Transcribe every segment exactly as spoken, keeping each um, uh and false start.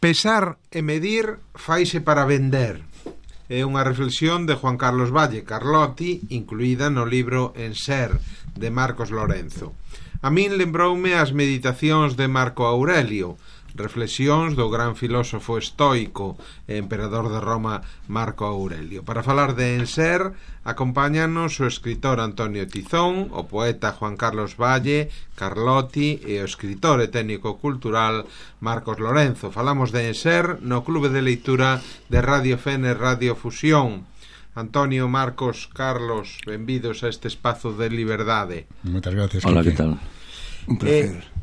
Pesar e medir faise para vender. É unha reflexión de Juan Carlos Valle Carlotti, incluída no libro En Ser, de Marcos Lorenzo. A min lembroume as meditacións de Marco Aurelio, reflexións do gran filósofo estoico e emperador de Roma Marco Aurelio. Para falar de En Ser, acompáñanos o escritor Antonio Tizón, o poeta Juan Carlos Valle Carlotti e o escritor e técnico cultural Marcos Lorenzo. Falamos de En Ser no Clube de Leitura de Radio Fene Radio Fusión. Antonio, Marcos, Carlos, benvidos a este espazo de liberdade. Moitas gracias. Hola, que tal? Un placer. Eh,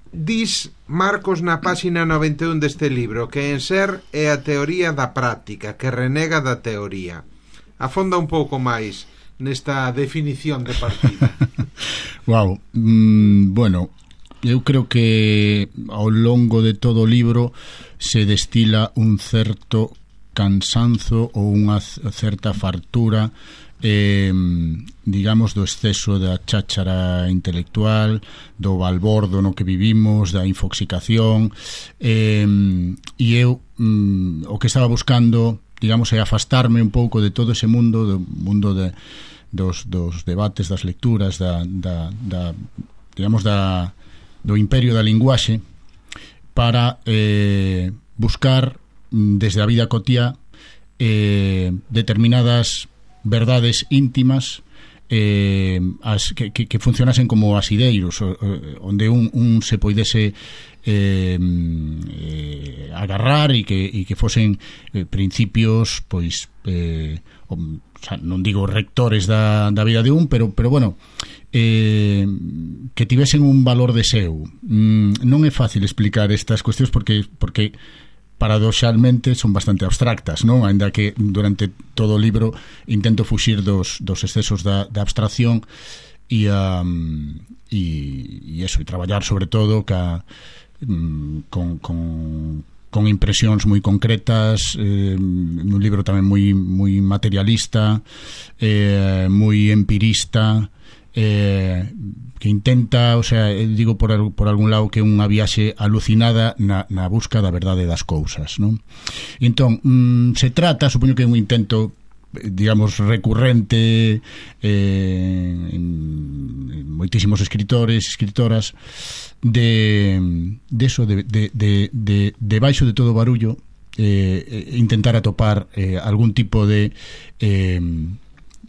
Dis, Marcos, na páxina noventa e un deste libro que En Ser é a teoría da práctica, que renega da teoría. Afonda un pouco máis nesta definición de partida. Wow, mm, bueno, eu creo que ao longo de todo o libro se destila un certo cansanzo ou unha certa fartura, eh, digamos, do exceso da cháchara intelectual, do balbordo no que vivimos, da infoxicación, eh, e eu mm, o que estaba buscando, digamos, é afastarme un pouco de todo ese mundo, do mundo de, dos, dos debates, das lecturas, da, da, da digamos, da, do imperio da linguaxe, para eh, buscar desde a vida cotiá eh, determinadas verdades íntimas, eh, as, que, que, que funcionasen como asideiros, onde un, un se poidese eh, eh, agarrar e que, e que fosen eh, principios, pois eh, o, o sea, non digo rectores da, da vida de un, pero, pero bueno, eh, que tivesen un valor de seu. Mm, non é fácil explicar estas cuestións porque porque paradoxalmente son bastante abstractas, non? Ainda que durante todo o libro intento fuxir dos, dos excesos da, da abstracción e, um, e, e eso, e traballar sobre todo ca, um, con, con, con impresións moi concretas, eh, un libro tamén moi, moi materialista, eh, moi empirista, eh, que intenta, o sea, digo por, por algún lado que é unha viaxe alucinada na, na busca da verdade das cousas, non? Entón, mm, se trata, supoño que é un intento, digamos, recurrente eh, en, en moitísimos escritores, escritoras, de, de eso, de, de, de, de, de baixo de todo barullo, eh, intentar atopar eh, algún tipo de eh,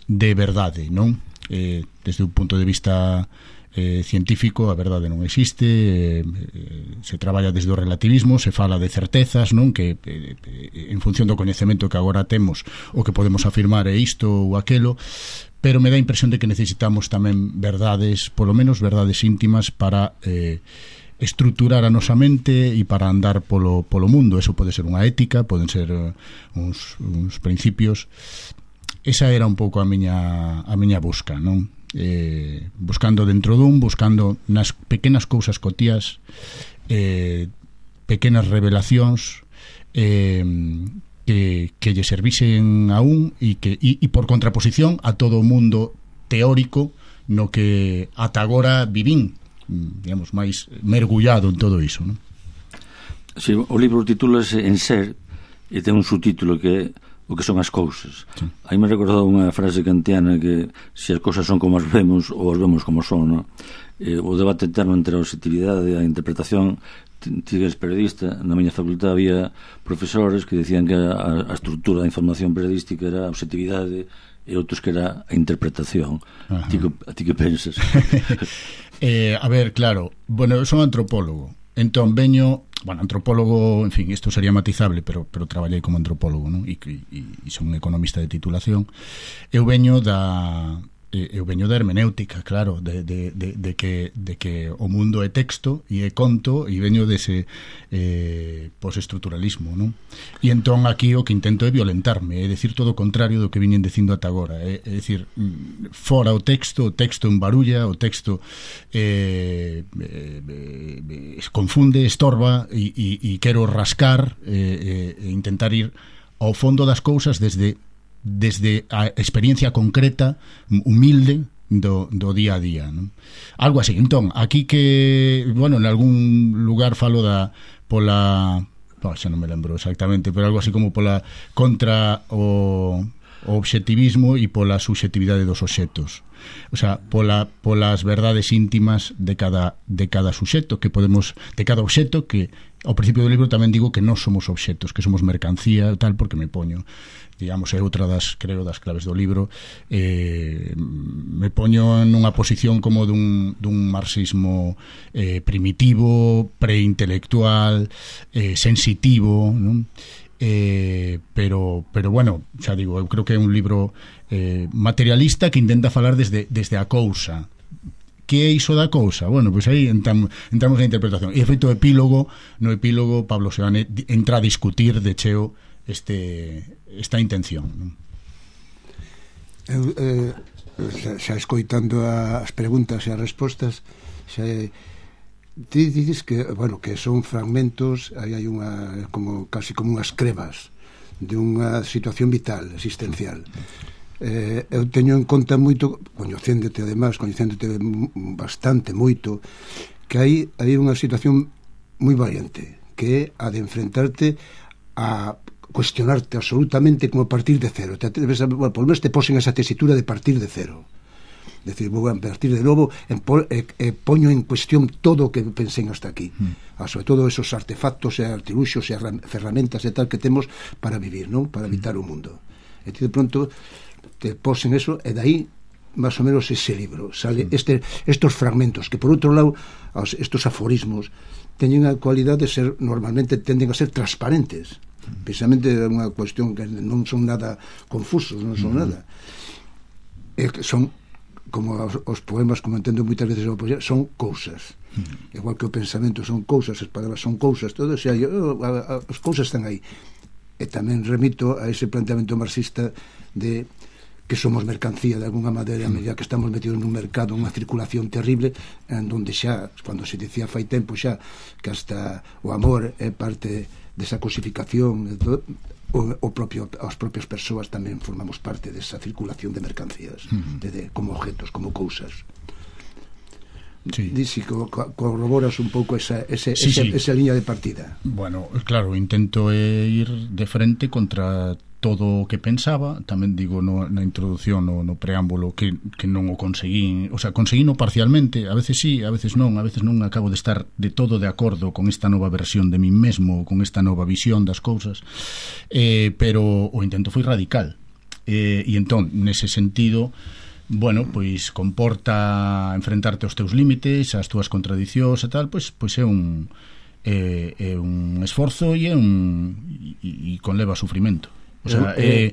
de verdade, non? Eh, desde un punto de vista eh, científico, a verdade non existe, eh, se traballa desde o relativismo, se fala de certezas, non? Que eh, en función do coñecemento que agora temos, o que podemos afirmar é isto ou aquelo, pero me dá a impresión de que necesitamos tamén verdades, polo menos verdades íntimas, para eh, estruturar a nosa mente e para andar polo, polo mundo. Eso pode ser unha ética, poden ser uh, uns, uns principios. Esa era un pouco a miña a miña busca, non? Eh, buscando dentro dun, buscando nas pequenas cousas cotías, eh, pequenas revelacións eh, que, que lle servisen a un e que e, e por contraposición a todo o mundo teórico no que ata agora vivín, digamos, máis mergullado en todo iso, non? Si, o libro titúlase En Ser e ten un subtítulo que é o que son as cousas. Sí. Aí me recordou unha frase kantiana que se as cousas son como as vemos ou as vemos como son, no? Eh, o debate eterno entre a objetividade e a interpretación. Ti que eres periodista, na miña facultad había profesores que decían que a, a estrutura da información periodística era a objetividade e outros que era a interpretación. A ti, a ti que pensas? eh, a ver, claro, bueno, eu son antropólogo, entón veño, bueno, antropólogo, en fin, isto sería matizable, pero pero traballei como antropólogo, non? E, e, e son un economista de titulación. Eu veño da eu veño da hermenéutica, claro, de, de, de, de, que, de que o mundo é texto e é conto, e veño dese eh, postestructuralismo, non? E entón aquí o que intento é violentarme, é dicir todo o contrario do que viñen dicindo ata agora, é, é dicir, fora o texto, o texto embarulla, o texto eh, eh, eh, confunde, estorba, e, e, e quero rascar e eh, eh, intentar ir ao fondo das cousas desde desde a experiencia concreta, humilde do, do día a día, non? Algo así. Entón, aquí que, bueno, en algún lugar falo da pola oh, xa non me lembro exactamente, pero algo así como pola contra o, o obxectivismo e pola subxetividade dos obxectos. O sea, pola, polas verdades íntimas de cada, de cada suxeto que podemos, de cada obxecto, que ao principio do libro tamén digo que non somos obxectos, que somos mercancía tal, porque me poño, digamos, é outra das, creo, das claves do libro, eh, me poño nunha posición como dun, dun marxismo eh, primitivo, preintelectual, eh, sensitivo, non? Eh, pero, pero bueno, xa digo, eu creo que é un libro eh, materialista que intenta falar desde, desde a cousa. Que é iso da cousa? Bueno, pois pues aí entramos, entramos na interpretación. E feito epílogo, no epílogo Pablo Seoane entra a discutir de cheo este, esta intención, non? Eu, eh, xa, xa escoitando as preguntas e as respostas, xa ti dices que, bueno, que son fragmentos, aí hai unha como casi como unhas crevas de unha situación vital, existencial. Eh, eu teño en conta moito, coñecéndote además, coñecéndote bastante moito, que hai hai unha situación moi variante, que é a de enfrentarte a cuestionarte absolutamente como partir de cero. Te, debes, bueno, por lo menos te posen esa tesitura de partir de cero. Decir, vou a partir de novo e, e, e poño en cuestión todo o que pensei hasta aquí, mm. sobre todo esos artefactos e artiluxos e ferramentas e tal que temos para vivir, non? Para habitar mm. o mundo. E ti de pronto te posen eso e dai máis ou menos ese libro sale mm. este, estos fragmentos que por outro lado estos aforismos teñen a cualidade de ser, normalmente tenden a ser transparentes, mm. precisamente é unha cuestión que non son nada confusos, non son mm. nada, e que son como os, os poemas, como entendo moitas veces a poesía, son cousas, mm. igual que o pensamento son cousas, as palabras son cousas, todo, o sea, yo, a, a, as cousas están aí. E tamén remito a ese planteamento marxista de que somos mercancía de alguna maneira, a medida que estamos metidos nun mercado, unha circulación terrible, en donde xa, cando se dicía fai tempo xa que hasta o amor é parte desa cosificación, o, o propio, as propias persoas tamén formamos parte desa circulación de mercancías, uh-huh. de, de, como objetos, como cousas. Sí. Dixi, co, co, corroboras un pouco esa, ese, sí, esa, sí. esa liña de partida. Bueno, claro, intento eh, ir de frente contra todo o que pensaba, tamén digo no, na introdución, no, no preámbulo, que, que non o conseguín, o sea, conseguíno parcialmente, a veces sí, a veces non, a veces non acabo de estar de todo de acordo con esta nova versión de min mesmo, con esta nova visión das cousas, eh, pero o intento foi radical, eh, e entón, nese sentido, bueno, pois comporta enfrentarte aos teus límites, ás túas contradicións e tal, pois, pois é un é, é un esforzo e é un e, e conleva sufrimento. O sea, eh,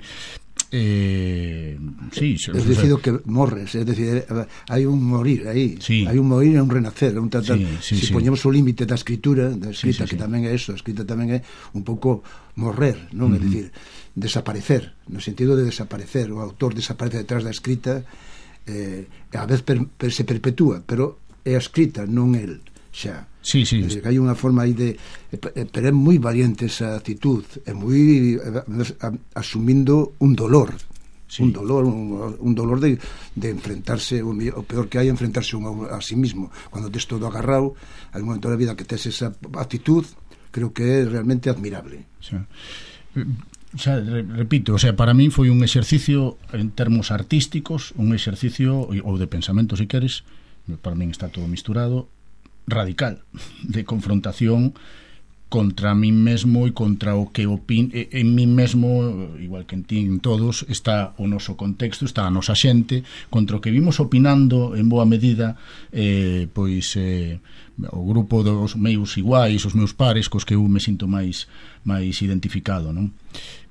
eh, sí, es decido que morres, es decir, hai un morir aí, sí. hai un morir e un renacer, un tratar, sí, sí, si sí. poñemos o límite da escritura, da escrita, sí, sí, que sí. tamén é eso, a escrita tamén é un pouco morrer, non? Uh-huh. É dicir, desaparecer, no sentido de desaparecer, o autor desaparece detrás da escrita, eh, a vez per, per, se perpetúa, pero é a escrita, non el, xa. Sí, sí. É dicir, que hai unha forma aí de, pero é moi valiente esa actitud, é moi asumindo un dolor, sí. un dolor, un, un dolor de, de enfrentarse, o, o peor que hai é enfrentarse un, a sí mismo. Cando tes todo agarrado, hai un momento da vida que tes esa actitud, creo que é realmente admirable. Sí. Xa, repito, o sea, para mí foi un exercicio en termos artísticos, un exercicio ou de pensamento, se queres, para min está todo misturado, radical, de confrontación contra mí mesmo e contra o que opin en mí mesmo, igual que en ti, en todos, está o noso contexto, está a nosa xente, contra o que vimos opinando en boa medida eh, pois eh, o grupo dos meus iguais, os meus pares, cos que eu me sinto máis máis identificado, non?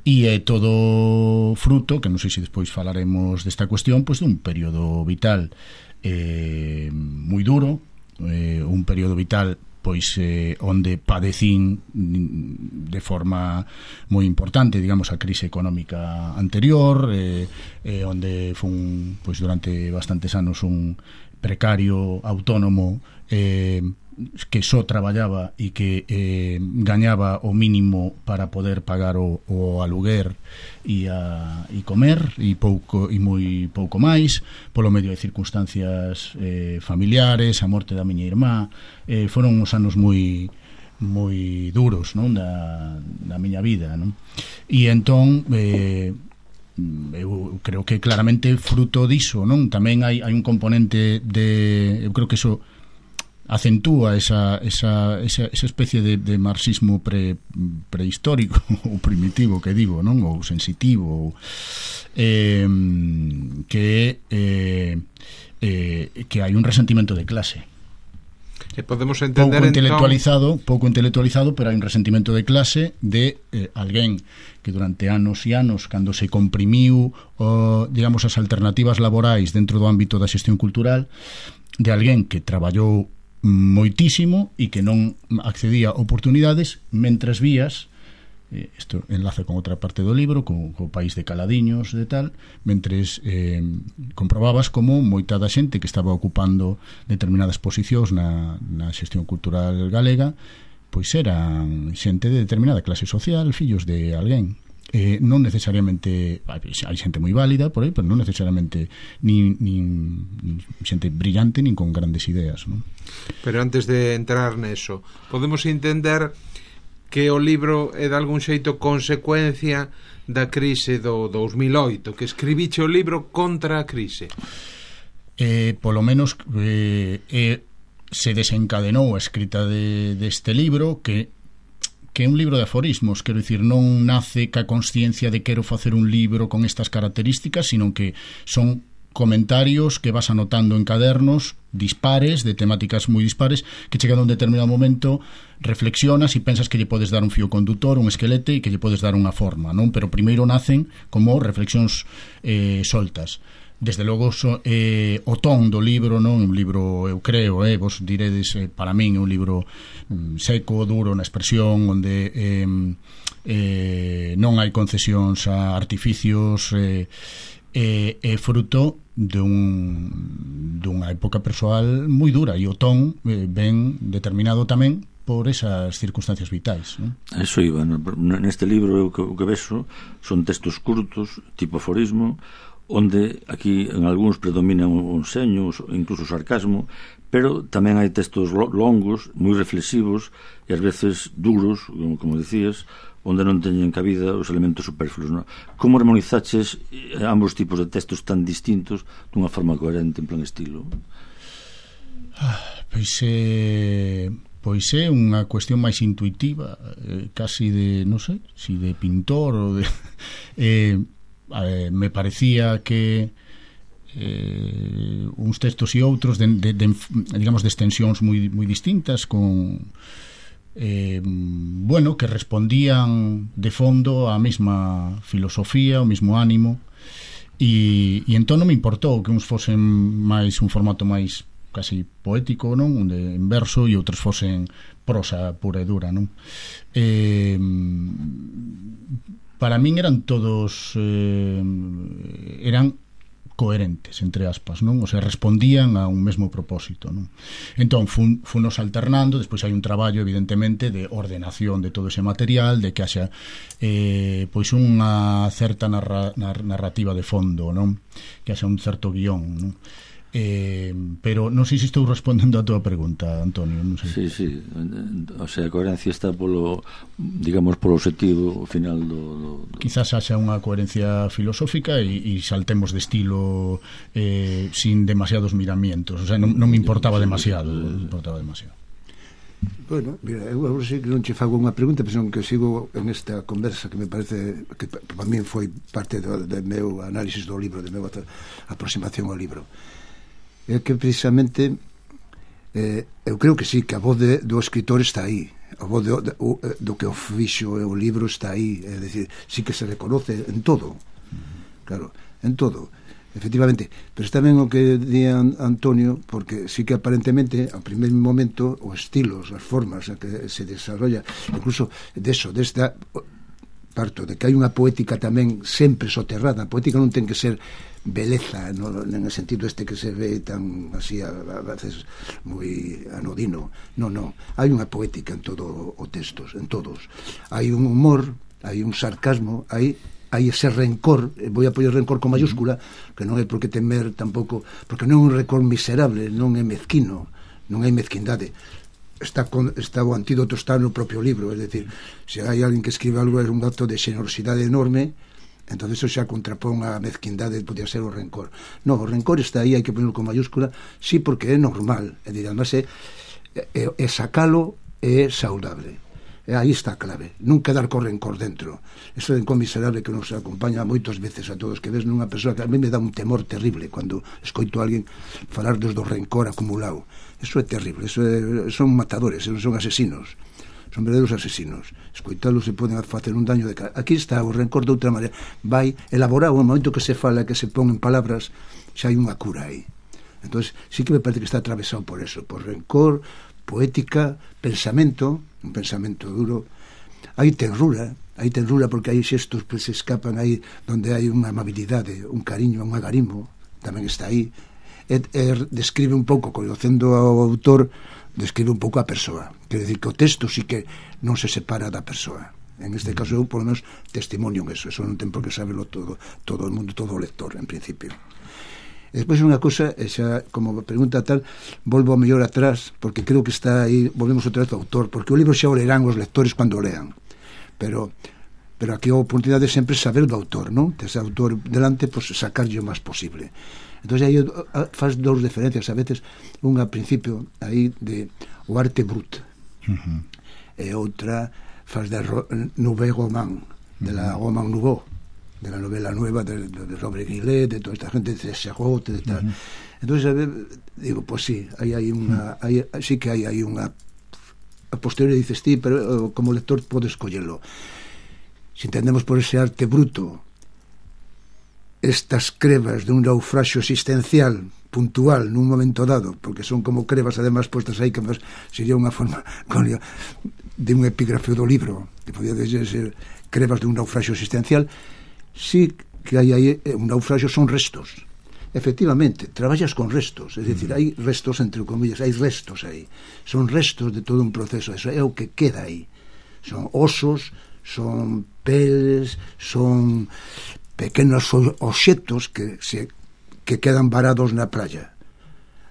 E é todo fruto, que non sei se despois falaremos desta cuestión, pois dun período vital eh, moi duro, Eh, un período vital pois eh, onde padecín de forma moi importante, digamos, a crise económica anterior, eh, eh, onde fun pois durante bastantes anos un precario autónomo eh, que só traballaba e que eh, gañaba o mínimo para poder pagar o, o aluguer e, a, e comer e pouco e moi pouco máis polo medio de circunstancias eh, familiares, a morte da miña irmá, eh, foron uns anos moi moi duros, non, da, da miña vida, non? E entón eh, eu creo que claramente fruto diso, non? Tamén hai, hai un componente de, eu creo que eso acentúa esa, esa, esa, esa especie de, de marxismo pre, prehistórico ou primitivo que digo, non? Ou sensitivo ou, eh, que eh, eh, que hai un resentimento de clase. E podemos entender pouco intelectualizado, entón... pouco intelectualizado, pero hai un resentimento de clase de eh, alguén que durante anos e anos, cando se comprimiu o, digamos, as alternativas laborais dentro do ámbito da xestión cultural, de alguén que traballou moitísimo e que non accedía a oportunidades, mentres vías, isto enlaza con outra parte do libro, co, co país de caladiños de tal, mentres eh, comprobabas como moita da xente que estaba ocupando determinadas posicións na, na xestión cultural galega, pois eran xente de determinada clase social, fillos de alguén. Eh, non necesariamente hai xente moi válida por aí, pero non necesariamente nin, nin xente brillante nin con grandes ideas, non? Pero antes de entrar neso, podemos entender que o libro é de algún xeito consecuencia da crise do dous mil oito, que escribiche o libro contra a crise. Eh, polo menos eh, eh, se desencadenou a escrita de, deste libro, que que é un libro de aforismos, quero dicir, non nace ca consciencia de quero facer un libro con estas características, sino que son comentarios que vas anotando en cadernos dispares, de temáticas moi dispares, que chegado a un determinado momento reflexionas e pensas que lle podes dar un fío condutor, un esquelete, e que lle podes dar unha forma, non? Pero primeiro nacen como reflexións eh, soltas. Desde logo so, eh, o ton do libro, non? Un libro, eu creo, eh, vos diredes, eh, para min é un libro mm, seco, duro na expresión, onde eh, eh, non hai concesións a artificios, eh, é, é fruto dun, dunha época persoal moi dura, e o ton eh, ben determinado tamén por esas circunstancias vitais, non? Eso iba, neste libro o que, o que vexo son textos curtos, tipo aforismo, onde aquí en algúns predominan un seño, incluso o sarcasmo, pero tamén hai textos longos, moi reflexivos e ás veces duros, como, como decías, onde non teñen cabida os elementos superfluos, non? Como harmonizaches ambos tipos de textos tan distintos dunha forma coherente en plan estilo? Ah, pois é... Pois é unha cuestión máis intuitiva, eh, casi de, non sei, si de pintor ou de... Eh, eh, me parecía que eh, uns textos e outros de, de, de, digamos, de extensións moi, moi distintas, con eh, bueno, que respondían de fondo á mesma filosofía, ao mesmo ánimo, e, e entón non me importou que uns fosen máis un formato máis casi poético, non? Onde en verso, e outros fosen prosa pura e dura, non? Eh, para min eran todos eh, eran coherentes, entre aspas, non? O sea, respondían a un mesmo propósito, non? Entón, fun, funos alternando, despois hai un traballo, evidentemente, de ordenación de todo ese material, de que haxa eh, pois unha certa narra, narrativa de fondo, non? Que haxa un certo guión, non? Eh, pero non sei se estou respondendo a tua pregunta, Antonio, non sei. Sí, sí, o sea, a coherencia está polo, digamos, polo objetivo final do, do, do... Quizás haxa unha coherencia filosófica e, e saltemos de estilo eh, sin demasiados miramientos, o sea, non, non me importaba demasiado, non me importaba demasiado. Bueno, mira, eu agora sei que non che fago unha pregunta, pero senón que sigo en esta conversa que me parece que para mí foi parte do, do meu análisis do libro, de meu aproximación ao libro. É que precisamente eh, eu creo que sí, que a voz de, do escritor está aí, a voz de, de, o, do que o fixo o libro está aí, é dicir, sí que se reconoce en todo, claro, en todo, efectivamente, pero está ben o que di Antonio, porque sí que aparentemente ao primer momento os estilos, as formas a que se desarrolla, incluso deso, desta parto de que hai unha poética tamén sempre soterrada. A poética non ten que ser beleza, no, en el sentido este que se ve tan así a, a veces moi anodino. Non, non, hai unha poética en todo o textos, en todos. Hai un humor, hai un sarcasmo, hai hai ese rencor, vou a poñer rencor con mayúscula, que non é por que temer tampouco, porque non é un rencor miserable, non é mezquino, non hai mezquindade. está, con, está o antídoto está no propio libro, es decir, se hai alguén que escribe algo é un acto de xenerosidade enorme, entonces eso xa contrapón a mezquindade, podía ser o rencor. No, o rencor está aí, hai que ponerlo con mayúscula, sí, porque é normal, é dicir, además é, é, é sacalo é saudable. E aí está a clave, non quedar co rencor dentro. Eso de rencor miserable que nos acompaña moitas veces a todos, que ves nunha persoa que a mí me dá un temor terrible cando escoito a alguén falar dos do rencor acumulado. Eso é terrible, eso é, son matadores, son asesinos, son verdadeiros asesinos. Escoitalos se poden facer un daño de cara. Aquí está o rencor de outra maneira, vai elaborado, no momento que se fala, que se pon en palabras, xa hai unha cura aí. Entonces sí que me parece que está atravesado por eso, por rencor, poética, pensamento, un pensamento duro. Hai tenrura, hai tenrura porque hai xestos que se escapan aí donde hai unha amabilidade, un cariño, un agarimo, tamén está aí. E, e describe un pouco, conocendo ao autor, describe un pouco a persoa. Quer dizer que o texto sí que non se separa da persoa. En este caso eu, por lo menos, testimonio en eso. Eso non ten por que saberlo todo, todo o mundo, todo o lector, en principio. E despois unha cosa, xa como pregunta tal, volvo a mellor atrás, porque creo que está aí, volvemos outra vez ao autor, porque o libro xa o lerán os lectores cando o lean, pero pero aquí a oportunidade sempre saber do autor, non? Tes autor delante, pois pues, sacarlle o máis posible. Entón aí faz dous diferencias a veces, unha a principio aí de o arte brut, uh-huh. e outra faz de Nouveau Roman, de la Roman Nouveau, de la novela nueva de, de, de Robert Grillet, de toda esta gente, de Serrault, de tal. Uh-huh. Entonces, digo, pues sí, hay, hay una, hay, sí que hay, hay unha a posteriori dices ti, pero como lector podes escollerlo. Si entendemos por ese arte bruto estas crevas de un naufraxio existencial puntual nun momento dado, porque son como crevas además puestas aí, que más sería unha forma de un epígrafe do libro, que podía ser crevas de un naufraxio existencial. Sí que hai aí un naufraxio, son restos. Efectivamente, traballas con restos, é dicir, hai restos entre comillas, hai restos aí. Son restos de todo un proceso, eso é o que queda aí. Son osos, son peles, son pequenos obxectos que se que quedan varados na praia,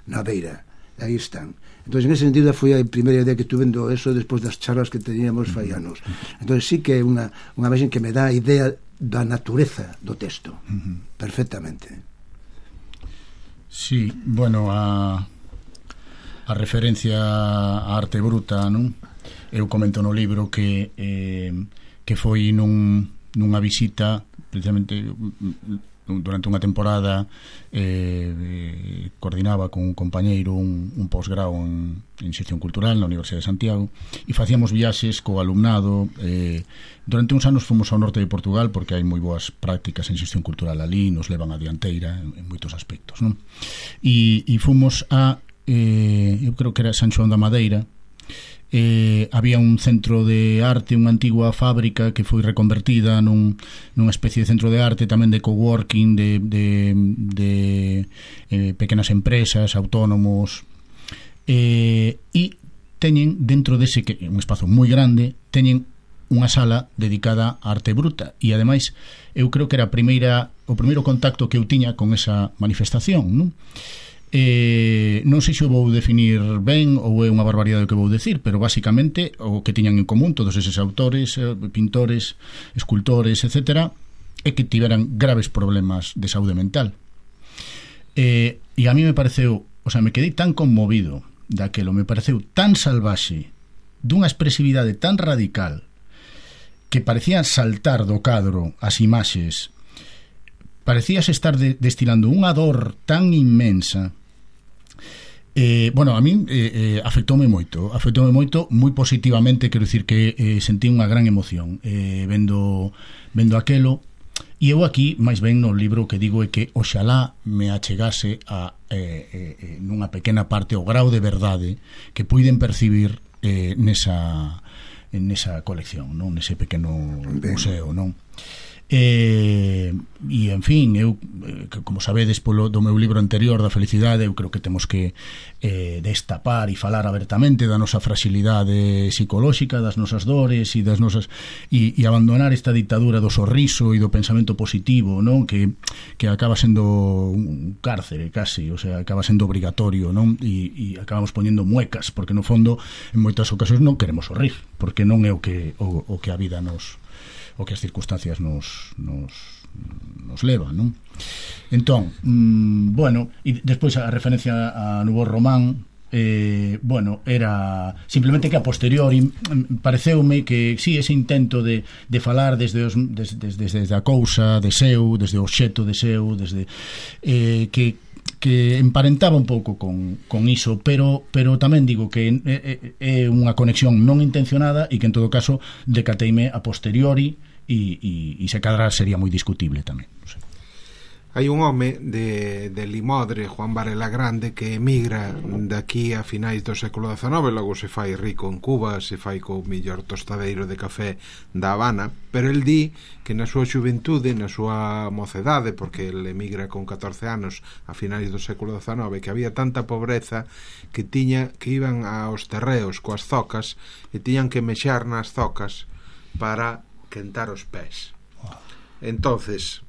na beira. Aí están. Entón, en ese sentido, foi a primeira idea que tuve vendo eso despois das charlas que teníamos fai anos. Entón, sí que é unha, unha imagen que me dá a idea da natureza do texto, uh-huh. perfectamente. Sí, bueno, a a referencia á arte bruta, non? Eu comento no libro que eh, que foi nun, nunha visita precisamente durante unha temporada eh, coordinaba con un compañeiro un, un posgrao en, en xestión cultural na Universidade de Santiago e facíamos viaxes co alumnado. Eh, durante uns anos fomos ao norte de Portugal porque hai moi boas prácticas en xestión cultural ali, nos levan a dianteira en, en moitos aspectos, non? E, e fomos a eh, eu creo que era San Xoán da Madeira. Eh, había un centro de arte, unha antigua fábrica que foi reconvertida nun, nunha especie de centro de arte, tamén de coworking, de, de, de eh, pequenas empresas, autónomos, eh, e teñen dentro dese, que un espazo moi grande, teñen unha sala dedicada á arte bruta, e ademais eu creo que era a primeira, o primeiro contacto que eu tiña con esa manifestación, non? Eh, non sei se o vou definir ben ou é unha barbaridade o que vou decir, pero basicamente o que tiñan en común todos eses autores, pintores, escultores, etcétera, é que tiveran graves problemas de saúde mental. Eh, e a mí me pareceu, o sea, me quedei tan conmovido daquelo, me pareceu tan salvaxe, dunha expresividade tan radical, que parecía saltar do cadro as imaxes, parecías estar de, destilando unha dor tan inmensa. Eh, bueno, a min eh, eh, afectoume moito afectoume moito, moi positivamente, quero dicir que eh, sentí unha gran emoción eh, vendo, vendo aquelo, e eu aquí, máis ben no libro que digo é que oxalá me achegase a eh, eh, nunha pequena parte o grau de verdade que puiden percibir eh, nesa, nesa colección, non? Nese pequeno museo, non? e, e en fin, eu, como sabedes polo do meu libro anterior da felicidade, eu creo que temos que eh, destapar e falar abertamente da nosa fragilidade psicolóxica, das nosas dores e das nosas e, e abandonar esta ditadura do sorriso e do pensamento positivo, non? Que, que acaba sendo un cárcere casi, o sea, acaba sendo obrigatorio, non? E, e acabamos poñendo muecas, porque no fondo en moitas ocasións non queremos sorrir, porque non é o que o, o que a vida nos o que as circunstancias nos, nos, nos leva, non? Entón, mmm, bueno, e despois a referencia a Nouveau Roman, eh, bueno, era simplemente que a posteriori pareceume que, sí, ese intento de, de falar desde, os, desde, desde, desde a cousa de seu, desde o obxecto de seu, desde eh, que que emparentaba un pouco con, con iso, pero pero tamén digo que é, é unha conexión non intencionada e que en todo caso decateime a posteriori e, e, e se cadra sería moi discutible tamén, non sei. Hai un home de, de Limodre, Juan Varela Grande, que emigra daqui a finais do século dezenove, logo se fai rico en Cuba, se fai co millor tostadeiro de café da Habana, pero el di que na súa xuventude, na súa mocedade, porque el emigra con catorce anos a finais do século dezenove, que había tanta pobreza que tiña que iban aos terreos coas zocas e tiñan que mexar nas zocas para quentar os pés. Entonces,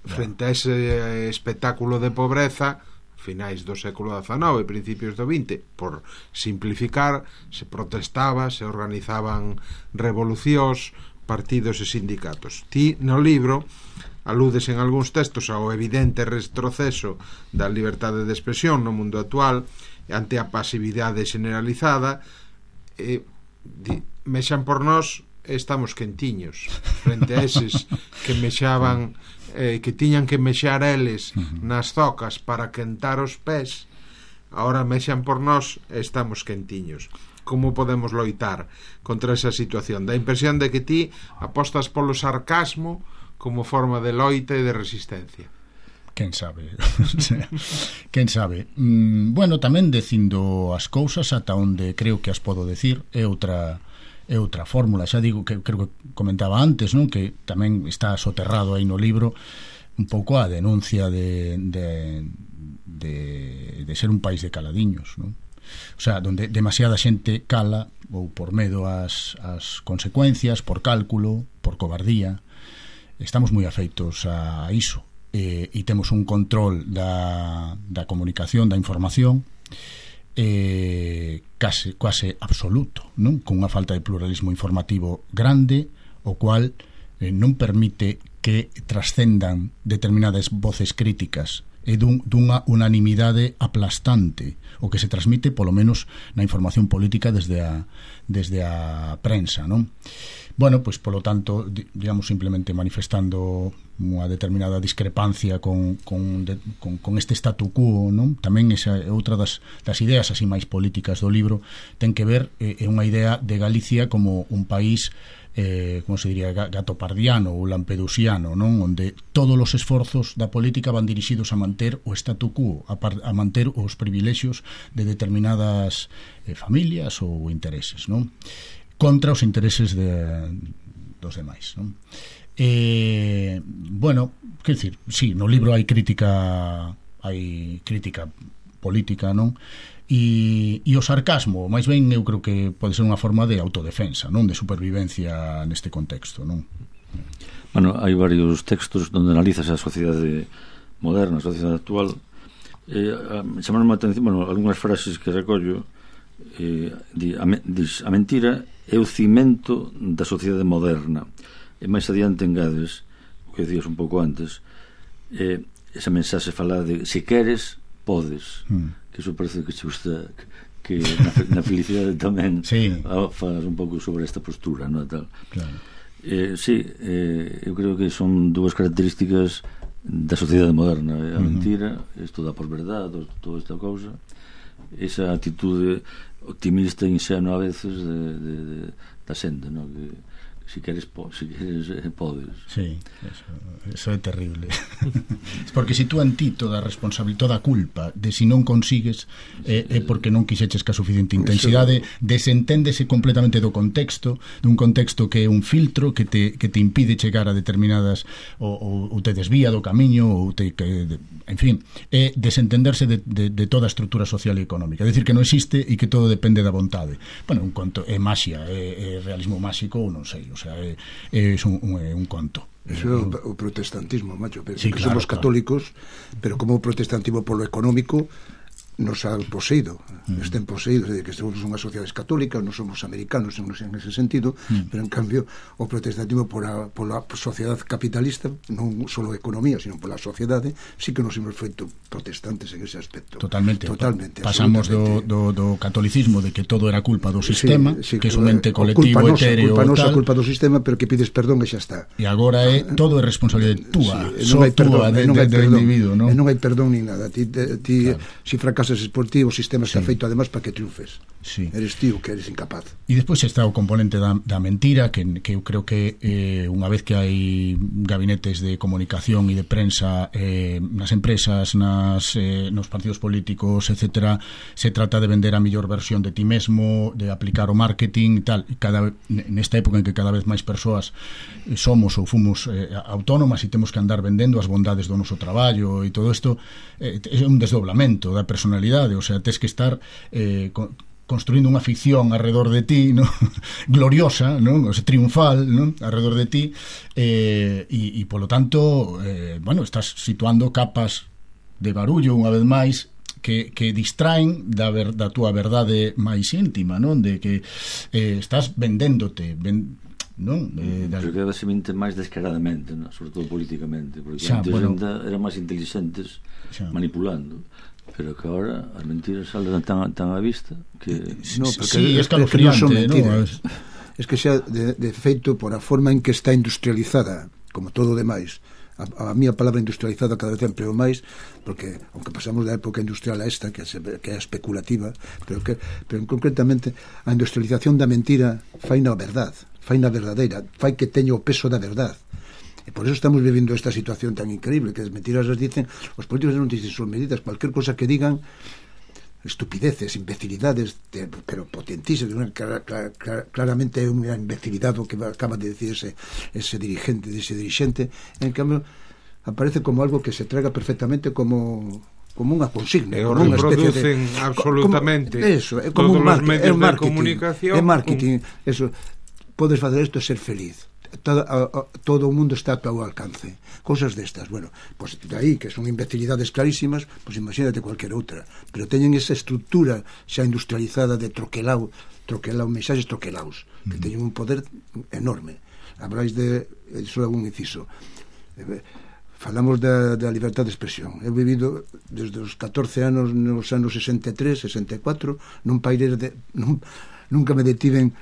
frente a ese espectáculo de pobreza, finais do século dezenove, principios do vinte, por simplificar, se protestaba, se organizaban revolucións, partidos e sindicatos. Ti, no libro, aludes en algúns textos ao evidente retroceso da liberdade de expresión no mundo actual ante a pasividade generalizada, e di, mexan por nós e estamos quentiños frente a eses que mexaban, eh, que tiñan que mexar eles nas zocas para quentar os pés. Ahora mexan por nós e estamos quentiños. Como podemos loitar contra esa situación? Da impresión de que ti apostas polo sarcasmo como forma de loita e de resistencia. Quen sabe? Quen sabe? Mm, bueno, tamén dicindo as cousas ata onde creo que as podo decir é outra é outra fórmula. Xa digo que creo que comentaba antes, non? Que tamén está soterrado aí no libro un pouco a denuncia de, de, de, de ser un país de caladiños, non? O sea, donde demasiada xente cala ou por medo ás, ás consecuencias, por cálculo, por cobardía. Estamos moi afeitos a iso, e, e temos un control da, da comunicación, da información eh, case, quase absoluto, non? Con unha falta de pluralismo informativo grande, o cual eh, non permite que trascendan determinadas voces críticas e dun, dunha unanimidade aplastante o que se transmite polo menos na información política desde a, desde a prensa, non? Bueno, pois polo tanto, digamos, simplemente manifestando unha determinada discrepancia con, con, de, con, con este statu quo, non? Tamén esa é outra das, das ideas así máis políticas do libro, ten que ver é eh, unha idea de Galicia como un país eh, como se diría, gatopardiano ou lampedusiano, non? Onde todos os esforzos da política van dirixidos a manter o statu quo, a, par, a manter os privilexios de determinadas eh, familias ou intereses, non? Contra os intereses de, dos demais, non? Eh, bueno, quer dicir, sí, no libro hai crítica hai crítica política, non? E, e o sarcasmo, máis ben, eu creo que pode ser unha forma de autodefensa, non? De supervivencia neste contexto, non? Bueno, hai varios textos onde analizas a sociedade moderna, a sociedade actual. Eh, chamaron a atención, bueno, algunhas frases que recollo. Eh, di, a, dis, a mentira é o cimento da sociedade moderna. E máis adiante engades o que dicías un pouco antes, eh, esa mensaxe fala de se queres, podes, mm. que iso parece que che gusta, que na, na felicidade tamén sí. falas un pouco sobre esta postura, non? Tal. Claro. Eh, sí, eh, eu creo que son dúas características da sociedade moderna, a uh-huh. mentira, isto dá por verdade, toda esta cousa, esa actitude optimista e inxenua a veces de, de, de, da xente, non? Que, si queres, po, si queres eh, podes. Sí, eso, eso é terrible. Porque se tú en ti toda a responsabilidade, toda a culpa de si non consigues é, é porque non quixeches ca suficiente intensidade, desenténdese completamente do contexto, dun contexto que é un filtro que te, que te impide chegar a determinadas ou, ou, ou te desvía do camiño ou te, que, de, en fin, é desentenderse de, de, de toda a estrutura social e económica, é dicir que non existe e que todo depende da vontade. Bueno, un conto é maxia, é, é realismo máxico ou non sei, o sea, é, é un, un, un conto. Eso é o, o protestantismo, macho, pero sí, que claro, somos católicos, claro. Pero como o protestantismo polo económico nos ha poseído, mm. estén poseídos, é dicir, que somos unhas sociedades católicas, non somos americanos en ese sentido, mm. pero en cambio o protestantismo pola, pola sociedade capitalista, non só a economía, sino pola sociedade, sí que nos hemos feito protestantes en ese aspecto. Totalmente. Totalmente. Pasamos do, do, do catolicismo de que todo era culpa do sistema, sí, sí, que é un ente colectivo, culpa etéreo, culpa nosa, tal. Culpa do sistema, pero que pides perdón e xa está. E agora é todo é responsabilidade túa, sí, só túa de, de, de individuo, non? E non hai perdón nin nada. Ti, ti, claro. Si fracasas por ti, o sistema está sí. feito además para que triunfes. Sí. Eres tío que eres incapaz. E despois está o componente da, da mentira, que, que eu creo que eh, unha vez que hai gabinetes de comunicación e de prensa eh, nas empresas, nas, eh, nos partidos políticos, etcétera, se trata de vender a mellor versión de ti mesmo, de aplicar o marketing e tal. E cada, nesta época en que cada vez máis persoas somos ou fomos eh, autónomas e temos que andar vendendo as bondades do noso traballo e todo isto, eh, é un desdoblamento da personalidade, o sea, tes que estar eh, con, construindo unha ficción alrededor de ti, ¿no? gloriosa, ¿no? O sea, triunfal, ¿no? alrededor de ti, eh, e, e polo tanto eh, bueno, estás situando capas de barullo unha vez máis que, que distraen da, ver, da túa verdade máis íntima, non? De que eh, estás vendéndote, ven, non? Eh, da... Creo que debe se mente máis descaradamente, ¿no? Sobre todo políticamente, porque xa, antes bueno, eran máis inteligentes xa. manipulando, pero que ahora as mentiras salen tan, tan a vista que no, porque sí, es, es que non son mentiras, ¿no? Es que xa de, de feito por a forma en que está industrializada, como todo o demais. A, a mía palabra industrializada cada vez empreo máis, porque aunque pasamos da época industrial a esta, que é, que é especulativa, pero que pero concretamente a industrialización da mentira fai na verdad, fai na verdadeira, fai que teña o peso da verdad. E por eso estamos vivindo esta situación tan increíble, que as mentiras as dicen, os políticos non dicen son medidas, cualquier cosa que digan, estupideces, imbecilidades, de, pero potentísimas, clar, clar, clar, claramente é unha imbecilidade o que acaba de decir ese, ese dirigente, ese dirigente, en cambio aparece como algo que se traga perfectamente como como unha consigna, e como unha especie de absolutamente como, eso, é como todos un marketing, os medios é marketing, de comunicación, é marketing, un... eso, podes facer isto e ser feliz. Todo, a, a, todo o mundo está a teu alcance, cosas destas. Bueno, pues de aí que son imbecilidades clarísimas, pues imagínate cualquier outra, pero teñen esa estructura xa industrializada de troquelao, troquelao, mensaxes troquelaos, que teñen un poder enorme. Habláis de, iso é un inciso, falamos da, da libertad de expresión. He vivido desde os catorce anos nos anos sesenta e tres, sesenta e catro, nun país de, nun, nunca me detiven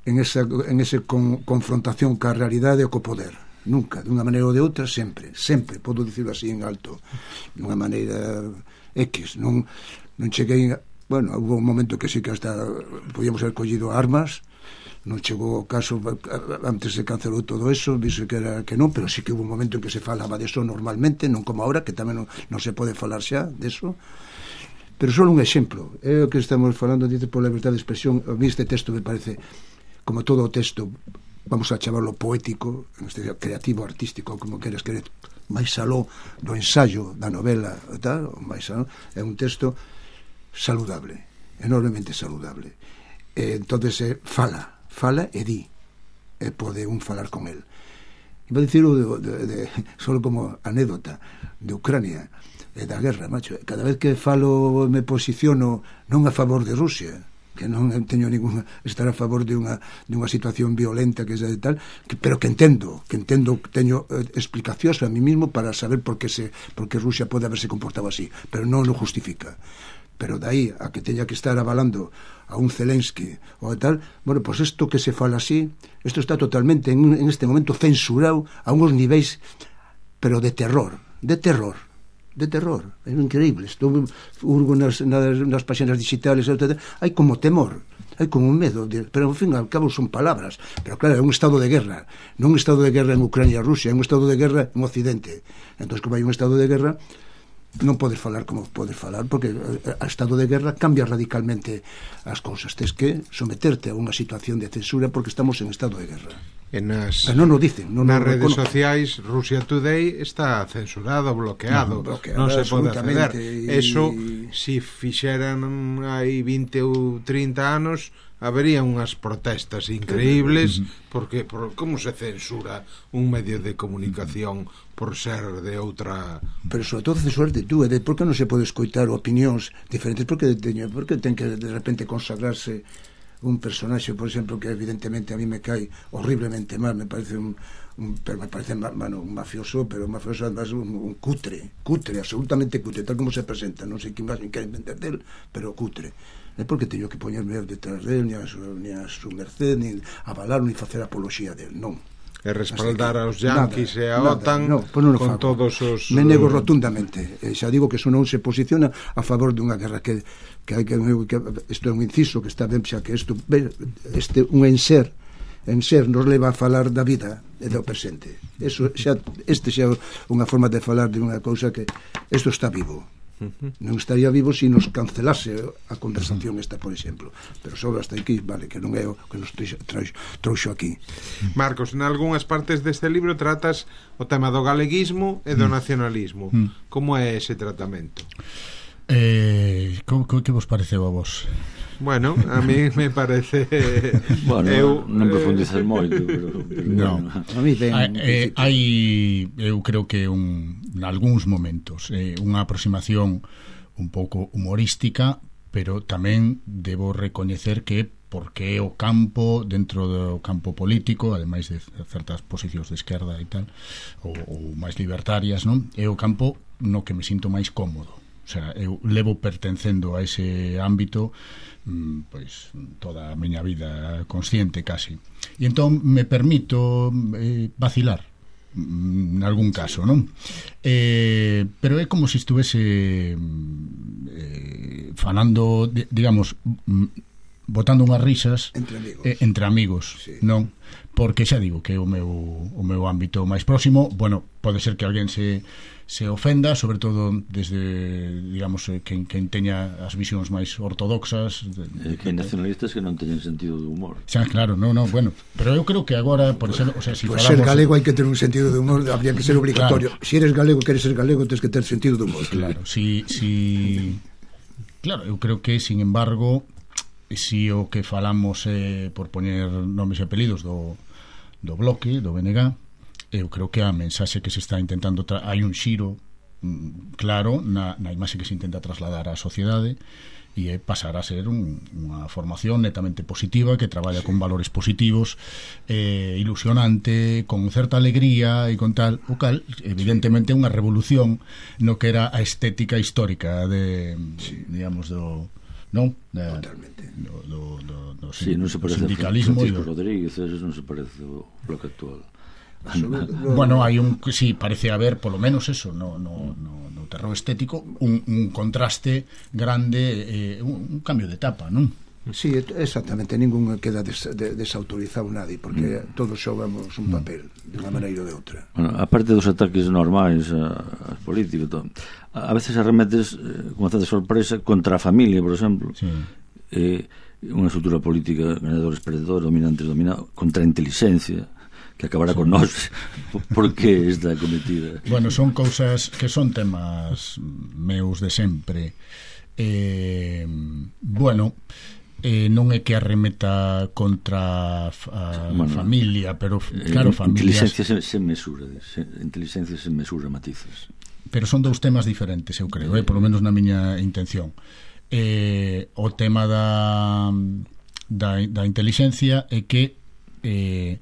en esa, en esa con, confrontación ca realidade e co poder, nunca, dunha maneira ou de outra, sempre, sempre, podo dicirlo así en alto, dunha maneira X, non, non cheguei, bueno, hubo un momento que sí que hasta podíamos haber collido armas, non chegou o caso, antes se cancelou todo eso, dise que era que non, pero sí que hubo un momento en que se falaba de eso normalmente, non como ahora, que tamén non, non se pode falar xa de eso. Pero só un exemplo, é o que estamos falando, dice, por libertad de expresión. A mí este texto me parece, como todo o texto, vamos a chamarlo poético, este creativo, artístico, como queres querer, máis aló do ensayo da novela, tal, máis aló, é un texto saludable, enormemente saludable. E entonces eh, fala, fala e di, e pode un falar con el. E vou dicirlo de, de, de, solo como anécdota de Ucrania e da guerra, macho. Cada vez que falo me posiciono non a favor de Rusia, que non teño ninguna estar a favor de unha de unha situación violenta que é de tal, que, pero que entendo, que entendo, teño eh, explicacións a mí mismo para saber por que se por que Rusia pode haberse comportado así, pero non lo justifica. Pero dai a que teña que estar avalando a un Zelensky ou tal, bueno, pois pues isto que se fala así, isto está totalmente en, en este momento censurado a uns niveis, pero de terror, de terror. de terror, é increíble. Estou urgo nas, nas, nas páxinas digitales, etcétera. Hai como temor, hai como un medo de, pero ao fin e ao cabo son palabras, pero claro, é un estado de guerra, non un estado de guerra en Ucrania e Rusia, é un estado de guerra en Occidente. Entón, como hai un estado de guerra, non podes falar como podes falar, porque a estado de guerra cambia radicalmente as cousas. Tes que someterte a unha situación de censura porque estamos en estado de guerra. En as, non nos dicen, non nas nos redes reconocen. sociais, Rusia Today está censurado, bloqueado, No, bloqueado, non se pode acceder. absolutamente, Eso, y- si fixeran hai vinte ou trinta anos, habería unhas protestas increíbles, porque por, como se censura un medio de comunicación por ser de outra... Pero sobre todo censurarte tú, é de por que non se pode escoitar opinións diferentes, porque teño, porque ten que de repente consagrarse un personaxe, por exemplo, que evidentemente a mí me cae horriblemente mal, me parece un, un pero me parece bueno, un mafioso, pero un mafioso además un, un cutre, cutre, absolutamente cutre, tal como se presenta, non sei que máis quere vender del, pero cutre. É porque teño que poñerme detrás del, ni a su, ni a su merced, ni avalar, ni facer apoloxía del, non. E respaldar que, aos yanquis e a nada, OTAN no, pues non o con fago. todos os... Me nego rotundamente, e xa digo que eso non se posiciona a favor dunha guerra que que hai que, que isto é un inciso que está ben, xa que isto este un enser enser nos leva a falar da vida e do presente. Eso xa este xa unha forma de falar de unha cousa que isto está vivo. Non estaría vivo se si nos cancelase a conversación esta, por exemplo, pero só hasta aquí, vale, que non é o que nos trouxo aquí. Marcos, en algunhas partes deste libro tratas o tema do galeguismo e do nacionalismo. Mm. Como é ese tratamento? Eh, como, como que vos pareceu a vos? Bueno, a mí me parece... Bueno, eu, non eh, profundizar moito, pero, pero No. bueno. A mí ben, Hai, eh, hai eu creo que un nalgúns momentos eh, unha aproximación un pouco humorística, pero tamén debo recoñecer que porque é o campo dentro do campo político, ademais de certas posicións de esquerda e tal, ou, ou máis libertarias, non? É o campo no que me sinto máis cómodo. O sea, eu levo pertencendo a ese ámbito mm, pois toda a miña vida consciente casi. E entón me permito eh, vacilar en algún caso, non? Eh, pero é como se estuvese eh, falando, digamos, botando unhas risas entre amigos, eh, entre amigos, sí. Non? Porque xa digo que é o meu, o meu ámbito máis próximo. Bueno, pode ser que alguén se se ofenda, sobre todo desde, digamos, quen, quen teña as visións máis ortodoxas de, Eh, que hai nacionalistas que non teñen sentido de humor. xa, claro, no, no, bueno, pero eu creo que agora, por exemplo, o sea, si pues falamos... ser galego hai que ter un sentido de humor, habría que ser obligatorio. Claro. Si eres galego, queres ser galego, tens que ter sentido de humor. Claro, si, si... Claro, eu creo que, sin embargo, si o que falamos é, por poñer nomes e apelidos do, do bloque, do B N G, eu creo que a mensaxe que se está intentando tra... hai un xiro mm, claro na, na imaxe que se intenta trasladar á sociedade, e é pasar a ser un, unha formación netamente positiva que traballa con valores positivos, eh, ilusionante, con certa alegría e con tal, o cal evidentemente unha revolución no que era a estética histórica de, sí. digamos, do non? Da, Totalmente. Do, do, do, do, Sí, non se parece a sindicalismo Francisco do... Rodríguez, eso non se parece ao bloque actual. Bueno, hai un, sí, parece haber polo menos eso, no, no, no, no terreo estético, un, un contraste grande, eh, un, un cambio de etapa, non? Sí, exactamente, ningún queda des, de, desautorizado nadie, porque mm. todos xogamos un papel de unha maneira ou de outra. Bueno, aparte dos ataques normais a, a políticos, todo, a, a veces arremetes eh, con certa sorpresa contra a familia, por exemplo. Sí. Eh, unha estrutura política, ganadores, perdedores, dominantes, dominados, contra a inteligencia, que acabará sí. con nós. Por que esta cometida? Bueno, son cousas que son temas meus de sempre. Eh, bueno, eh, non é que arremeta contra a bueno, familia, pero claro, eh, familias... Inteligencia se, se mesura, se, inteligencia se mesura matices. Pero son dous temas diferentes, eu creo, eh, polo menos na miña intención. Eh, o tema da, da, da inteligencia é que eh,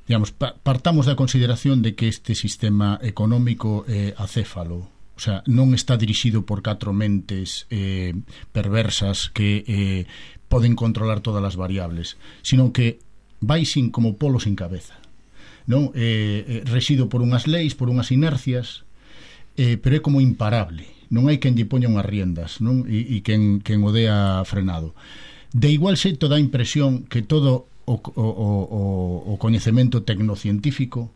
digamos, partamos da consideración de que este sistema económico é acéfalo, o sea, non está dirixido por catro mentes eh, perversas que eh, poden controlar todas as variables, sino que vai sin como polo sin cabeza, non? Eh, eh, rexido por unhas leis, por unhas inercias, eh, pero é como imparable, non hai quen lle poña unhas riendas, non? E, e quen, quen o dea frenado. De igual xeito dá impresión que todo o, o, o, o coñecemento tecnocientífico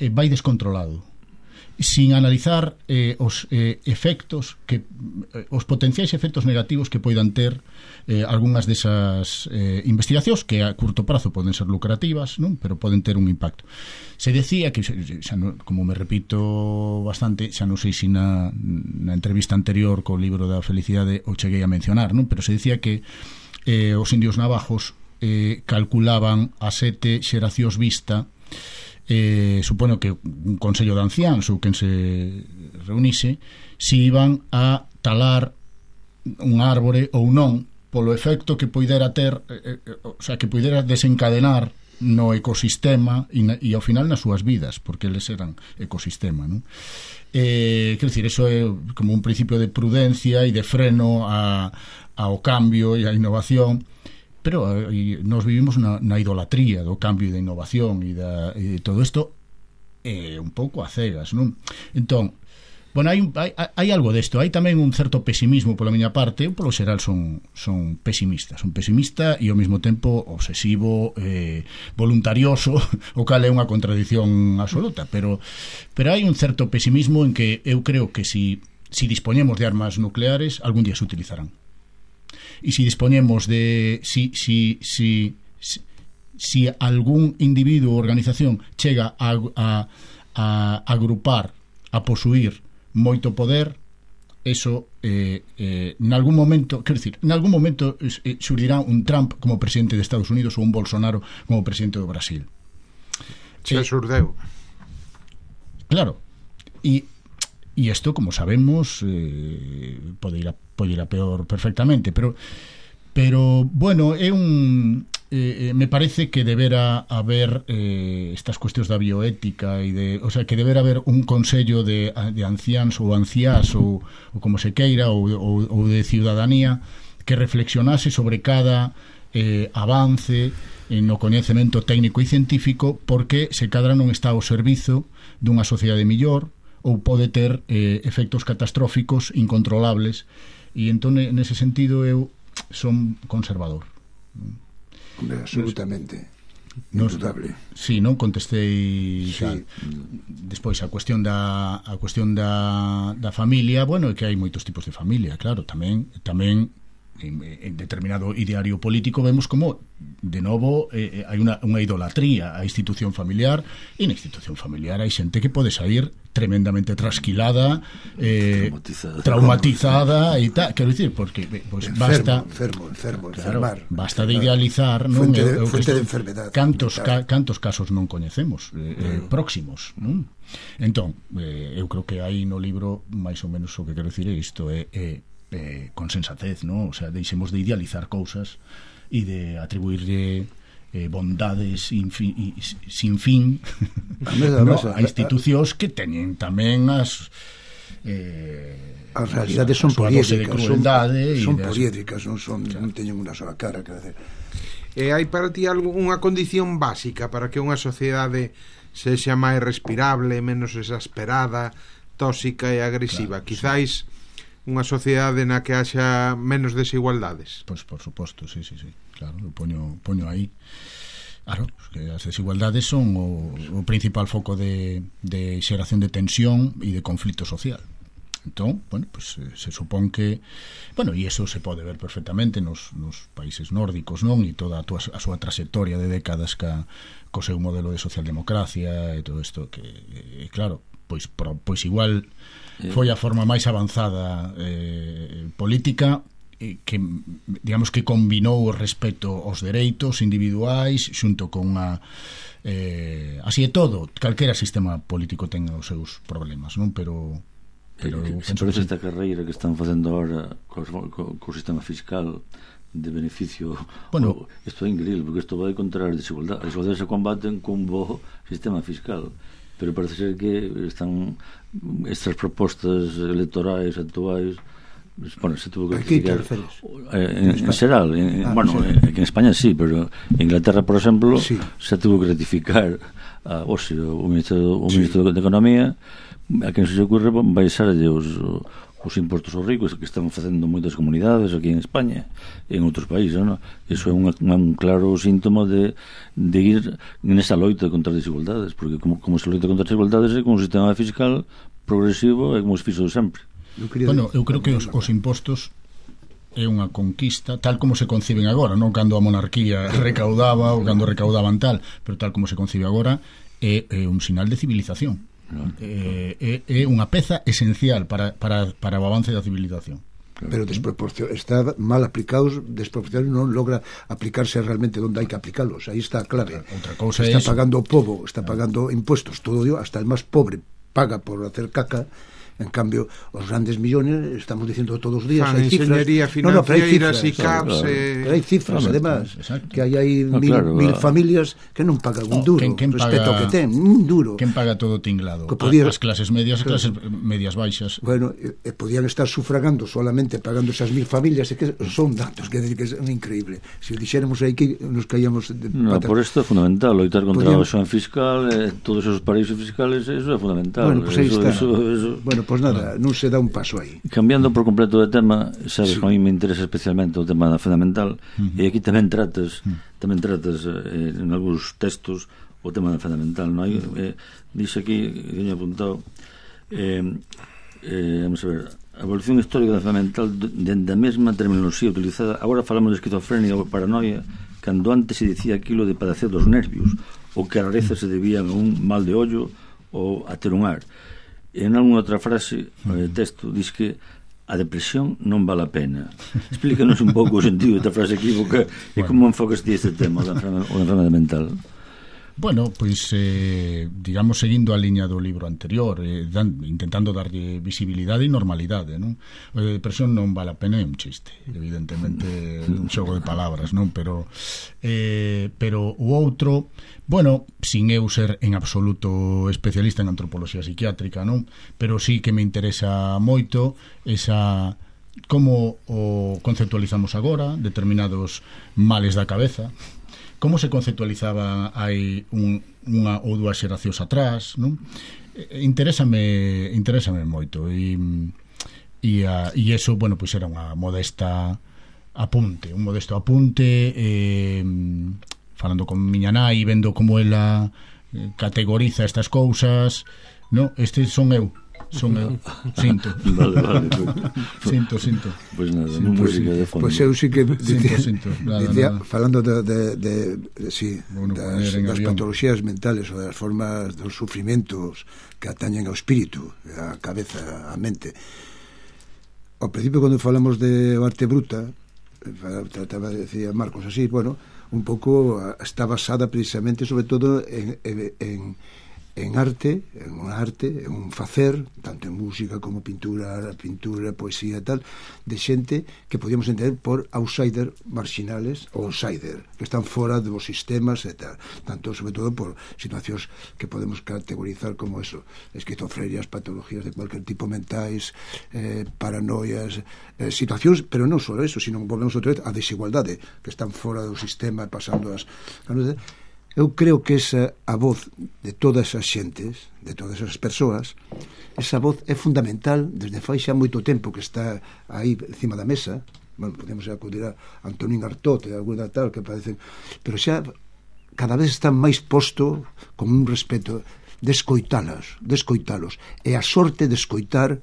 eh, vai descontrolado, sin analizar eh, os eh, efectos que eh, os potenciais efectos negativos que poidan ter eh, algunhas desas eh, investigacións que a curto prazo poden ser lucrativas, non? Pero poden ter un impacto. Se decía que, xa no, como me repito bastante, xa non sei se na, na entrevista anterior co libro da felicidade o cheguei a mencionar, non? Pero se decía que eh, os indios navajos eh, calculaban a sete xeracións vista. Eh, supoño que un consello de anciáns ou quen se reunise si iban a talar un árbore ou non polo efecto que poidera ter eh, eh, o sea, que poidera desencadenar no ecosistema e, na, e ao final nas súas vidas, porque eles eran ecosistema, non? Eh, quero dicir, eso é como un principio de prudencia e de freno a, ao cambio e a innovación. Pero eh, nos vivimos na, na idolatría do cambio e da innovación e, da, e de todo isto é eh, un pouco a cegas, non? Entón, bueno, hai, hai, hai algo desto, hai tamén un certo pesimismo pola miña parte. Eu polo xeral son, son pesimista son pesimista e ao mesmo tempo obsesivo, eh, voluntarioso, o cal é unha contradición absoluta, pero, pero hai un certo pesimismo en que eu creo que si, si dispoñemos de armas nucleares algún día se utilizarán. E si dispoñemos de si, si, si, si, si algún individuo ou organización chega a, a, a agrupar, a posuir moito poder, eso eh, eh, nalgún momento, quero dicir, nalgún momento eh, xurdirá un Trump como presidente de Estados Unidos ou un Bolsonaro como presidente do Brasil. Se eh, xurdeu. Claro. E E isto, como sabemos, eh, pode ir a, pode ir a peor perfectamente, pero pero bueno, é un eh, me parece que debera haber eh, estas cuestións da bioética e de, o sea, que debera haber un consello de, de anciáns ou anciás ou, ou como se queira ou, ou, ou de ciudadanía que reflexionase sobre cada eh, avance no coñecemento técnico e científico, porque se cadra non está ao servizo dunha sociedade mellor ou pode ter eh, efectos catastróficos incontrolables, e entón nese sentido eu son conservador. Hombre, absolutamente nos, indudable. Si, non contestei sí. Tal. Despois a cuestión da a cuestión da, da familia, bueno, é que hai moitos tipos de familia, claro, tamén tamén en, en determinado ideario político vemos como de novo eh, hai unha, unha idolatría á institución familiar, e na institución familiar hai xente que pode sair tremendamente trasquilada, eh, traumatizada, traumatizada e tal, quero dicir, porque pues, enfermo, basta enfermo, enfermo, claro, enfermar, basta enfermar. de idealizar, non? Fuente de, eu, eu fuente de enfermedade. Cantos, ca, cantos casos non coñecemos eh, eh, próximos, non? Entón, eh, eu creo que aí no libro máis ou menos o que quero dicir é isto, é, é Eh, con sensatez, ¿no? O sea, deixemos de idealizar cousas e de atribuirle eh, bondades infi, y, sin fin no, a institucións que teñen tamén as eh, as realidades son poliédricas, son, son de poliédricas, non son, claro. Non teñen unha sola cara, quero decir. E hai para ti algunha condición básica para que unha sociedade sexa máis respirable, menos exasperada, tóxica e agresiva? Claro, quizáis sí. Unha sociedade na que haxa menos desigualdades. Pois por suposto, sí, sí, sí. Claro, eu poño, poño aí. Claro, que as desigualdades son o, o principal foco de, de xeración de tensión e de conflito social. Entón, bueno, pues se supón que, bueno, e iso se pode ver perfectamente nos, nos países nórdicos, non? E toda a, tua, a súa trayectoria de décadas ca, co seu modelo de socialdemocracia e todo isto que, e, claro, pois, pro, pois igual foi a forma máis avanzada eh, política eh, que, digamos, que combinou o respeto aos dereitos individuais xunto con unha eh, así é todo, calquera sistema político ten os seus problemas, non? Pero pero eh, se parece esta carreira que están facendo ahora co, co, co sistema fiscal de beneficio, bueno, isto é increíble, porque isto vai contra as desigualdades. As desigualdades se combaten cun bo sistema fiscal, pero parece ser que están estas propostas electorais actuais, bueno, se tuvo que criticar en, en xeral en, ah, bueno, en, en España sí, pero en Inglaterra, por exemplo, sí. Se tuvo que rectificar a, o, sea, o ministro, o sí. ministro de Economía, a quen se ocurre baixarlle os, os impostos aos ricos que están facendo moitas comunidades aquí en España e en outros países, non? Iso é un, un claro síntoma de, de ir nesa loita contra as desigualdades, porque como, como se loita contra as desigualdades é con un sistema fiscal progresivo e como se fixo sempre. Bueno, eu creo que os, os impostos é unha conquista tal como se conciben agora, non cando a monarquía recaudaba ou cando recaudaban tal, pero tal como se concibe agora é, é un sinal de civilización. É, é, é unha peza esencial para, para, para o avance da civilización. Pero desproporcion, está mal aplicados, desproporcional, non logra aplicarse realmente onde hai que aplicalos. Aí está a clave. Outra cousa está es... pagando o povo, está pagando impuestos, todo dio, hasta el máis pobre paga por hacer caca. En cambio, os grandes millones, estamos diciendo todos os días, Fan, hai cifras. No, no, pero hai cifras, I C A P S, eh... pero hai cifras, claro, además, exacto. que hai, hai no, mil, claro, mil claro. familias que non pagan un duro, quen, quen respecto paga, ao que ten, un duro. Quen paga todo tinglado? Que podía, as clases medias e clases medias baixas. Bueno, e, e podían estar sufragando solamente pagando esas mil familias, e que son datos, que, que é increíble. Se o dixéramos aí que nos caíamos de no, patas. Por isto é fundamental loitar contra Podían... a evasión fiscal, eh, todos esos paraísos fiscales, eso é fundamental. Bueno, pues aí eso, está. Eso, eso... Bueno, pues nada, non se dá un paso aí. Cambiando por completo de tema, sabes Sí. que a mí me interesa especialmente o tema da fundamental, uh-huh. e aquí tamén tratas, uh-huh. tamén tratas eh, en algúns textos o tema da fundamental, non hai? Uh-huh. Eh, dixe aquí, que teño apuntado, eh, eh, vamos a ver, a evolución histórica da fundamental dende a mesma terminoloxía utilizada. Agora falamos de esquizofrenia ou paranoia, cando antes se dicía aquilo de padecer dos nervios, ou que a rareza se debían a un mal de ollo ou a ter un ar. En alguna outra frase, eh, texto, diz que a depresión non vale a pena. Explícanos un pouco o sentido desta frase equívoca e como enfocas ti este tema da enfermedade mental. Bueno, pois eh, digamos seguindo a liña do libro anterior, eh, dan, intentando darlle visibilidade e normalidade, non? A depresión non vale a pena, é un chiste, evidentemente un xogo de palabras, non? Pero eh, pero o outro, bueno, sin eu ser en absoluto especialista en antropoloxía psiquiátrica, non? Pero sí que me interesa moito esa como o conceptualizamos agora determinados males da cabeza. Como se conceptualizaba hai un, unha ou dúas xeracións atrás, non? Interésame, interésame moito e, e, a, e eso, bueno, pois era unha modesta apunte, un modesto apunte eh, falando con miña nai, vendo como ela categoriza estas cousas, non? Estes son eu. Son eu, sinto. Vale, vale. Pues, sinto, sinto. Pois pues nada, Sí, música pues, de fondo. Pois pues eu sí que dicía, sinto, sinto. Nada, dicía nada. falando de, de, de, de sí, bueno, das, das patologías mentales ou das formas dos sufrimentos que atañen ao espírito, a cabeza, a mente. Ao principio, cando falamos de arte bruta, trataba de decir Marcos así, bueno, un pouco está basada precisamente sobre todo en, en, en en arte, en un arte, en un facer, tanto en música como pintura, pintura, poesía e tal, de xente que podíamos entender por outsider marginales ou outsider, que están fora dos sistemas e tal, tanto sobre todo por situacións que podemos categorizar como eso, esquizofrenias, patologías de cualquier tipo mentais, eh, paranoias, eh, situacións, pero non só eso, sino volvemos outra vez a desigualdade, que están fora do sistema pasando as... Eu creo que esa a voz de todas as xentes, de todas as persoas, esa voz é fundamental desde fai xa moito tempo que está aí encima da mesa. Bueno, podemos acudir a Antonín Artaud e alguna tal que parecen, pero xa cada vez están máis posto con un respeto de escoitalas, de escoitalos, e a sorte de escoitar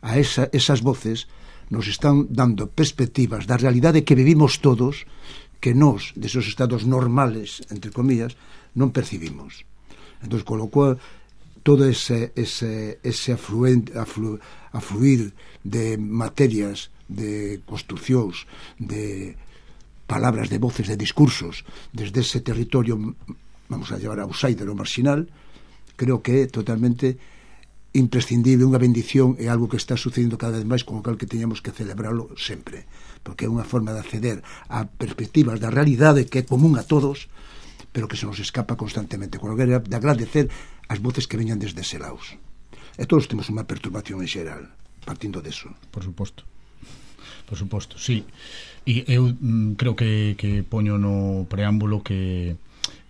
a esa, esas voces nos están dando perspectivas da realidade que vivimos todos, que nós, desos estados normales, entre comillas, non percibimos. Entón, con lo cual, todo ese, ese, ese afluente, aflu, afluir de materias, de construcións, de palabras, de voces, de discursos, desde ese territorio, vamos a llevar a outsider ou marginal, creo que é totalmente imprescindible, unha bendición, é algo que está sucedendo cada vez máis, con o cal que teñamos que celebrarlo sempre, porque é unha forma de acceder a perspectivas da realidade que é común a todos, pero que se nos escapa constantemente, con o que de agradecer as voces que veñan desde ese laos. E todos temos unha perturbación en xeral, partindo deso. Por suposto. Por suposto, sí. E eu mm, creo que, que poño no preámbulo que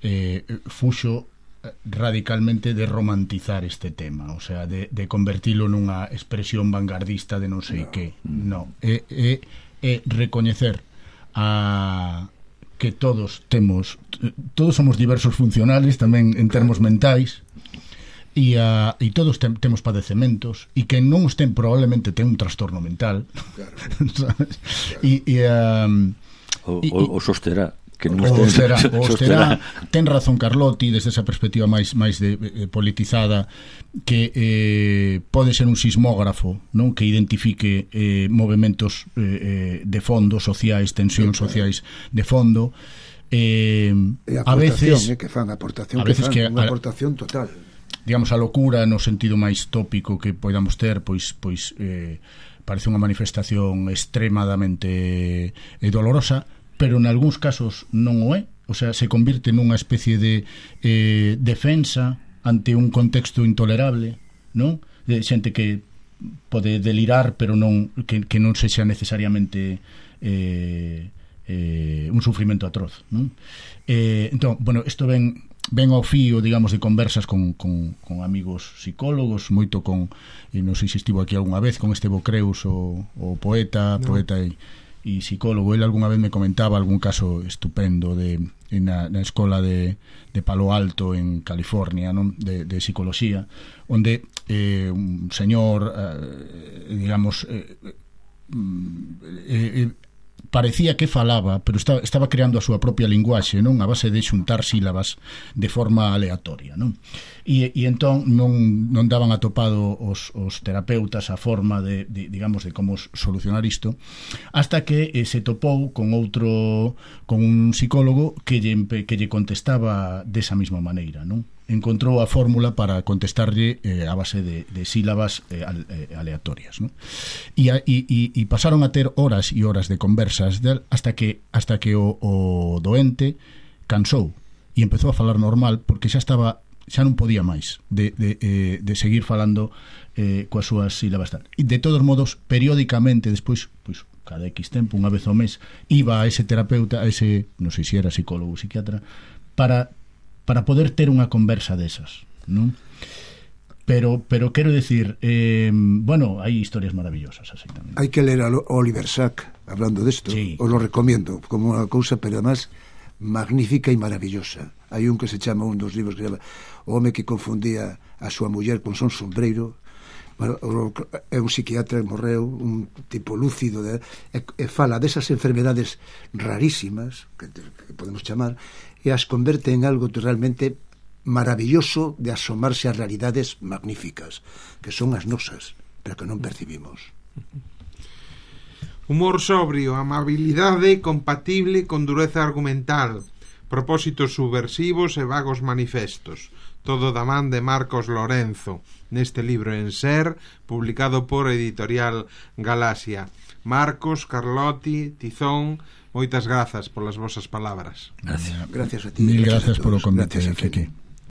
eh, fuxo radicalmente de romantizar este tema, o sea, de, de convertilo nunha expresión vanguardista de non sei no. que, non, é, é, é recoñecer a que todos temos, todos somos diversos funcionales tamén en termos mentais, e, a, e todos tem, temos padecementos, e que non os ten probablemente ten un trastorno mental, claro. Sabes? Claro. E, e, um, o, o, o sosterá que non o será, o será. Ten razón Carlotti desde esa perspectiva máis máis de, eh, politizada, que eh, pode ser un sismógrafo, non, que identifique eh, movementos eh, de fondo sociais, tensións sociais de fondo, eh, a veces eh, que fan aportación, a veces que fan, que unha aportación total, digamos, a locura no sentido máis tópico que podamos ter, pois pois eh, parece unha manifestación extremadamente eh, dolorosa, pero en algúns casos non o é, o sea, se convirte nunha especie de eh, defensa ante un contexto intolerable, non? De xente que pode delirar, pero non que, que non sexa necesariamente eh, eh, un sufrimento atroz, non? Eh, entón, bueno, isto ven ven ao fío, digamos, de conversas con, con, con amigos psicólogos, moito con, e non sei se estivo aquí algunha vez, con Estevo Creus, o, o poeta, no. poeta e e psicólogo. Ele algunha vez me comentaba algún caso estupendo de na, na escola de, de Palo Alto en California, non? De, de psicología, onde eh, un señor eh, digamos eh, eh, eh, parecía que falaba, pero estaba, estaba creando a súa propia linguaxe, non, a base de xuntar sílabas de forma aleatoria, non? E, e entón non, non daban atopado os, os terapeutas a forma de, de, digamos, de como solucionar isto, hasta que eh, se topou con outro, con un psicólogo que lle, que lle contestaba desa mesma maneira, non? Encontrou a fórmula para contestarlle eh, a base de, de sílabas eh, aleatorias, ¿no? E, e, e pasaron a ter horas e horas de conversas del, hasta que hasta que o, o doente cansou e empezou a falar normal, porque xa estaba xa non podía máis de, de, eh, de seguir falando eh, coas súas sílabas tal. E de todos modos, periódicamente despois, pois, cada X tempo, unha vez ao mes, iba a ese terapeuta, a ese, non sei se era psicólogo ou psiquiatra, para para poder ter unha conversa desas, non? Pero, pero quero decir, eh, bueno, hai historias maravillosas, así tamén. Hai que ler a Oliver Sack hablando desto, sí. Os lo recomiendo como unha cousa, pero además magnífica e maravillosa. Hai un que se chama, un dos libros que se chama O home que confundía a súa muller con son sombreiro. Bueno, é un psiquiatra que morreu, un tipo lúcido de, e, e fala desas enfermedades rarísimas que, que podemos chamar, e as converte en algo realmente maravilloso de asomarse a realidades magníficas que son as nosas, pero que non percibimos. Humor sobrio, amabilidade compatible con dureza argumental, propósitos subversivos e vagos manifestos, todo da man de Marcos Lorenzo, neste libro En Ser, publicado por Editorial Galaxia. Marcos, Carlotti, Tizón, moitas grazas polas vosas palabras. Gracias. Gracias a ti. Mil gracias polo convite, Keke.